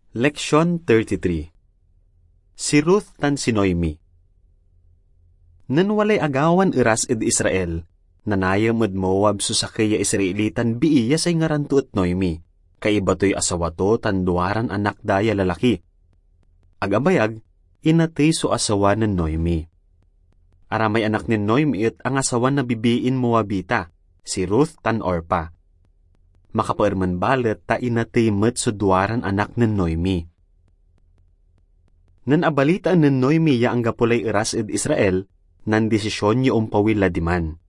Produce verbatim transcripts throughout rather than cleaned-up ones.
Leksion thirty-three. Si Ruth tan si Noemi. Nen walay agawan eras ed Israel, nanayam ed Moab so sakey ya Israelitan bii ya say ngaran to et Noemi. Kaiba toy asawa to tan duaran anak da ya lalaki. Ag abayag, inatey so asawa nen Noemi. Aramay anak nen Noemi et angasawa na bibiin Moabita, si Ruth tan Orpa. Makapaermen balet ta inatey met so duaran anak nen Noemi. Nen abalitaan nen Noemi ya anggapo lay eras ed Israel, nandisisyon ya ompawil la diman.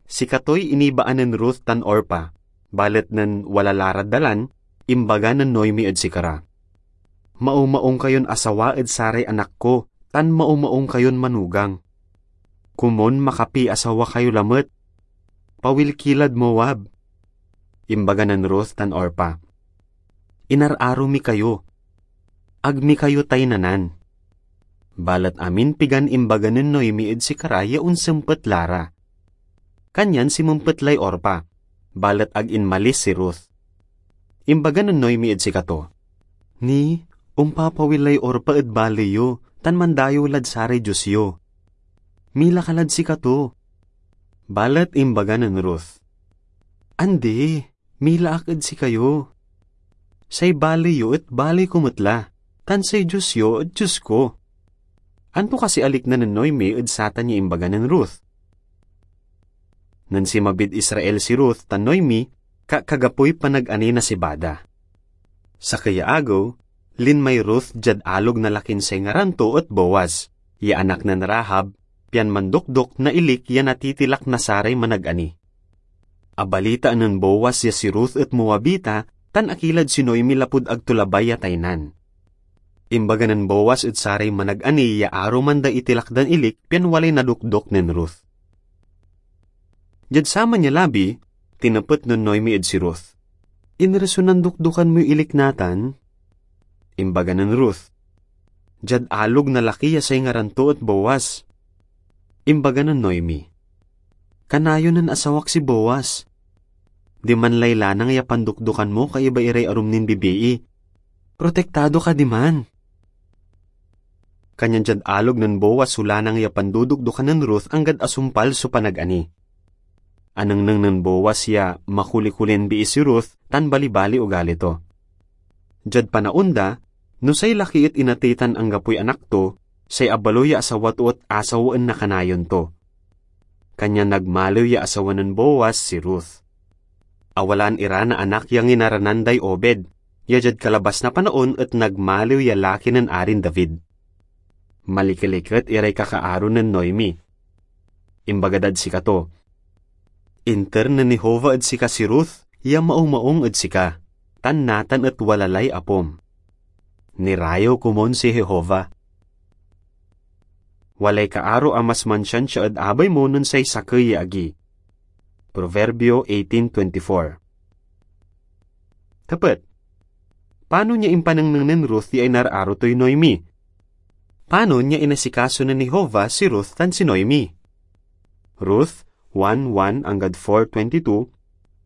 Sikatoy inibaan nen Ruth tan Orpa, balet nen wala la rad dalan, imbaga nen Noemi ed sikara, "Maumaung kayon asawa ed saray anak ko, tan maumaung kayon manugang. Komon makapiasawa kayo lamet. Pawil ki lad Moab." Imbaga nen Ruth tan Orpa, "Inararo mi kayo. Ag mi kayo taynanan." Balet amin pigan imbaga nen Noemi ed sikara ya onsempet la ra. Kanyan simempet lay Orpa, balet ag inmalis si Ruth. Imbaga nen Noemi ed sikato, "Ni, ompapawil lay Orpa ed baley yo, tan mandayew lad saray dios yo. Mila ka lad sikato." Balet imbaga nen Ruth, "Andi, mila ak ed sikayo. Say baley yo et baley ko met la, tan say dios yo et dios ko." Anto kasi alikna nen Noemi ed satan ya imbaga nen Ruth? Nen sinmabid Israel si Ruth tan Noemi, ka-, kagapoy panagani na sibada. Sakey ya agew, linmay Ruth diad alog na lakin say ngaran to et Boaz, ya anak nen Rahab, pian mandokdok na ilik ya natitilak na saray managani. Abalitaan nen Boaz ya si Ruth et Moabita tan akilad si Noemi lapud ag to labay ya taynan. Imbaga nen Boaz ed saray managani ya aruman da itilak dan ilik pian walay nadokdok nen Ruth. Diad saman ya labi, tinepet nen Noemi ed si Ruth, "Inreso nandokdokan moy ilik natan?" Imbaga nen Ruth, "Diad alog na laki ya say ngaran to et Boaz." Imbaga nen Noemi, "Kanayon nen asawak si Boaz. Diman lay lanang ya pandokdokan mo kaiba iray arum nin bibii. Protektado ka diman." Kanyan diad alog nen Boaz so lanang ya pandodokdokan nen Ruth anggad asumpal so panagani. Anengneng nen Boaz ya makuli-kulin bii si Ruth tan balibali ugali to. Diad panaon da, no say laki et inatey tan anggapoy anak to, say abaloy ya asawa to et asawaen na kanayon to. Kanyan nagmaliw ya asawa nen Boaz si Ruth. Awalaan ira na anak ya nginaranan day Obed, ya diad kalabas na panaon et nagmaliw ya laki nen Arin David. Malikeliket iray kakaaro nen Noemi. Imbaga dad sikato, "Inter nen Jehovah ed sika si Ruth ya maumaung ed sika, tan natan et wala lay apom. Nirayew komon si Jehovah." Walay kaaro a mas mansiansia ed abay mo nen say sakey ya agi. Proverbio eighteen twenty-four. Tepet, panon ya impanengneng nen Ruth ya inararo toy Noemi? Panon ya inasikaso nen Jehovah si Ruth tan si Noemi? Ruth one one anggad four twenty-two,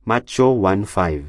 Mateo one five.